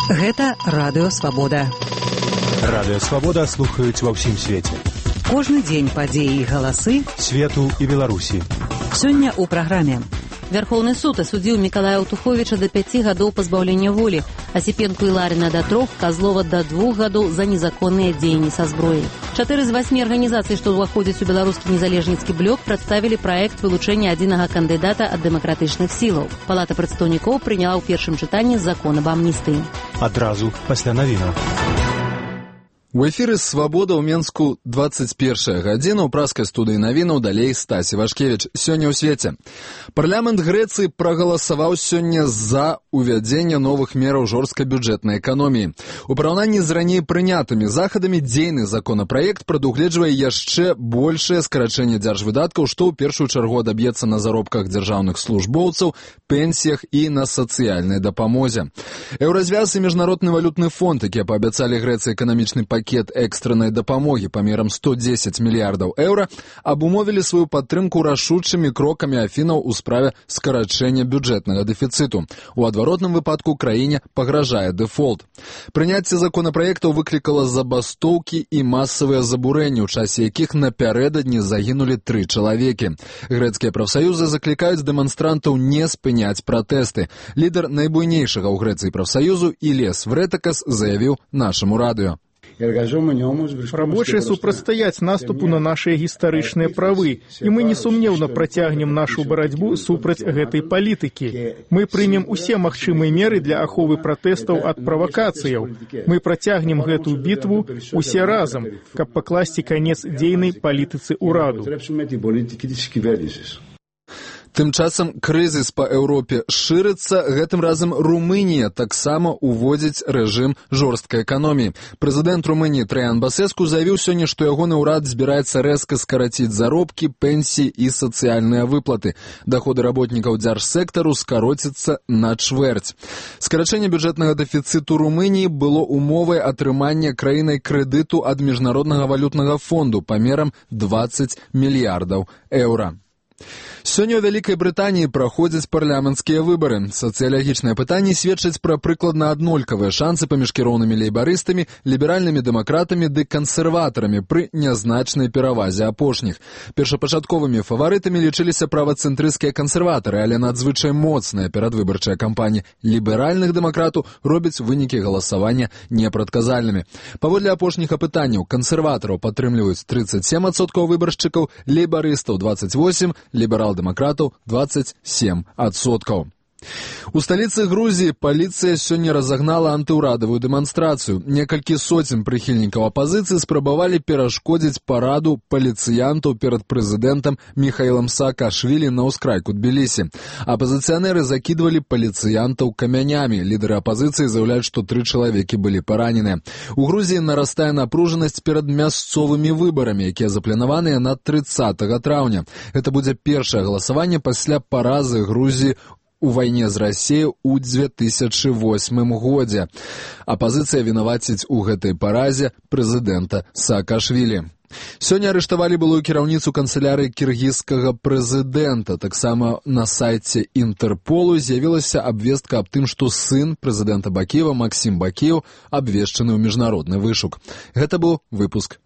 Гэта Радыё Свабода. Радыё Свабода слухаюць ва ўсім свеце. Кожны дзень падзеі і галасы свету і Беларусі. Сёння ў праграме. Вярхоўны суд асудзіў Мікалая Аўтуховіча да 5 гадоў пазбаўлення волі, Асіпенку і Ларіна да 3, Казлова да 2 гадоў за незаконныя дзеянні са зброяй. 4 з 8 арганізацый, што ўваходзяць у беларускі незалежніцкі блок, прадставілі праект вылучэння адзінага кандыдата ад дэмакратычных сілаў. Палата прадстаўнікоў прыняла ў першым чытанні закон аб амністыі. Адразу пасля навінаў. У эфіры «Свабода» ў Менску 21 гадзіна. У праскай студыі навінаў далей Стасі Вашкевіч. Сёння ў свеце. Парламент Грэцыі прагаласаваў сёння за увядзенне новых мераў жорсткай бюджэтнай эканоміі. У параўнанні з раней прынятымі захадамі дзейны законапраект прадугледжвае яшчэ большае скарачэнне дзяржвыдаткаў, што ў першую чаргу адаб'ецца на заробках дзяржаўных службоўцаў, пенсіях і на сацыяльнай дапамозе. Еўразвяз і Міжнародны валютны фонд, якія паабяцалі Грэцыі эканамічны пакет экстраннай дапамогі памерам 110 мільярдаў еўра, абумовілі сваю падтрымку рашучымі крокамі Афінаў у справе скарачэння бюджэтнага дэфіцыту. У адваротным выпадку краіне пагражае дэфолт. Прыняцце законапраектаў выклікала забастоўкі і масавыя забурэнні, у часе якіх напярэдадні загінулі 3 чалавекі. Грэцкія прафсаюзы заклікаюць дэманстрантаў не спыняць пратэсты. Лідар найбуйнейшага ў Грэцыі прафсаюзу Ілес Врэтакас заявіў нашаму радыё. Рабочие супрацьстаяць наступу на нашыя гістарычныя правы, і мы несумнеўна працягнем нашу барацьбу супраць гэтай палітыкі. Мы прымем усе магчымыя меры для аховы пратэстаў ад правакацыяў. Мы працягнем гэтую бітву усе разам, каб пакласці канец дзейнай палітыцы ўраду. Тым часам крызіс па Еўропе шырыцца, гэтым разам Румынія таксама уводзіць рэжым жорсткай эканоміі. Прэзідэнт Румыніі Траян Басэску заявіў сёння, што ягоны ўрад збіраецца рэзка скараціць заробкі, пенсіі і сацыяльныя выплаты. Даходы работнікаў дзяржсектару скароцяцца на чвэрць. Скарачэнне бюджэтнага дэфіцыту Румыніі было умовай атрымання краінай крэдыту ад Міжнароднага валютнага фонду памерам 20 мільярдаў еўра. Сёння ў Вялікай Брытаніі праходзяць парламенцкія выбары. Сацыялагічныя пытанні сведчаць пра прыкладна аднолькавыя шансы паміж кіроўнымі лейбарыстамі, ліберальнымі дэмакратамі ды кансерватарамі пры нязначнай перавазе апошніх. Першапачатковымі фаварытамі лічыліся правацэнтрысцкія кансерватары, але надзвычай моцная перадвыбарчая кампанія ліберальных дэмакратаў робіць вынікі галасавання непрадказальнымі. Паводле апошніх апытанняў кансерватараў падтрымліваюць 37% выбаршчыкаў, лейбарыстаў 28%, ліберал-дэмакратаў 27%. У сталіцы Грузіі паліцыя сёння разагнала антыўрадавую дэманстрацыю. Некалькі соцень прыхільнікаў апазіцыі спрабавалі перашкодзіць параду паліцыянтаў перад прэзідэнтам Міхаілам Саакашвілі на ўскрайку Тбілісі. Апазіцыянеры закідвалі паліцыянтаў камянямі. Лідары апазіцыі заяўляюць, што 3 чалавекі былі параненыя. У Грузіі нарастае напружанасць перад мясцовымі выбарамі, якія запланаваныя на 30 траўня. Гэта будзе першае галасаванне пасля паразы Грузіі у вайне з Расіяй у 2008 годзе. Апазіцыя вінаваціць у гэтай паразе прэзідэнта Саакашвілі. Сёння арыштавалі былую кіраўніцу канцылярыі кіргізскага прэзідэнта. Таксама на сайце Інтэрполу з'явілася абвестка аб тым, што сын прэзідэнта Бакіева Максім Бакіеў абвешчаны ў міжнародны вышук. Гэта быў выпуск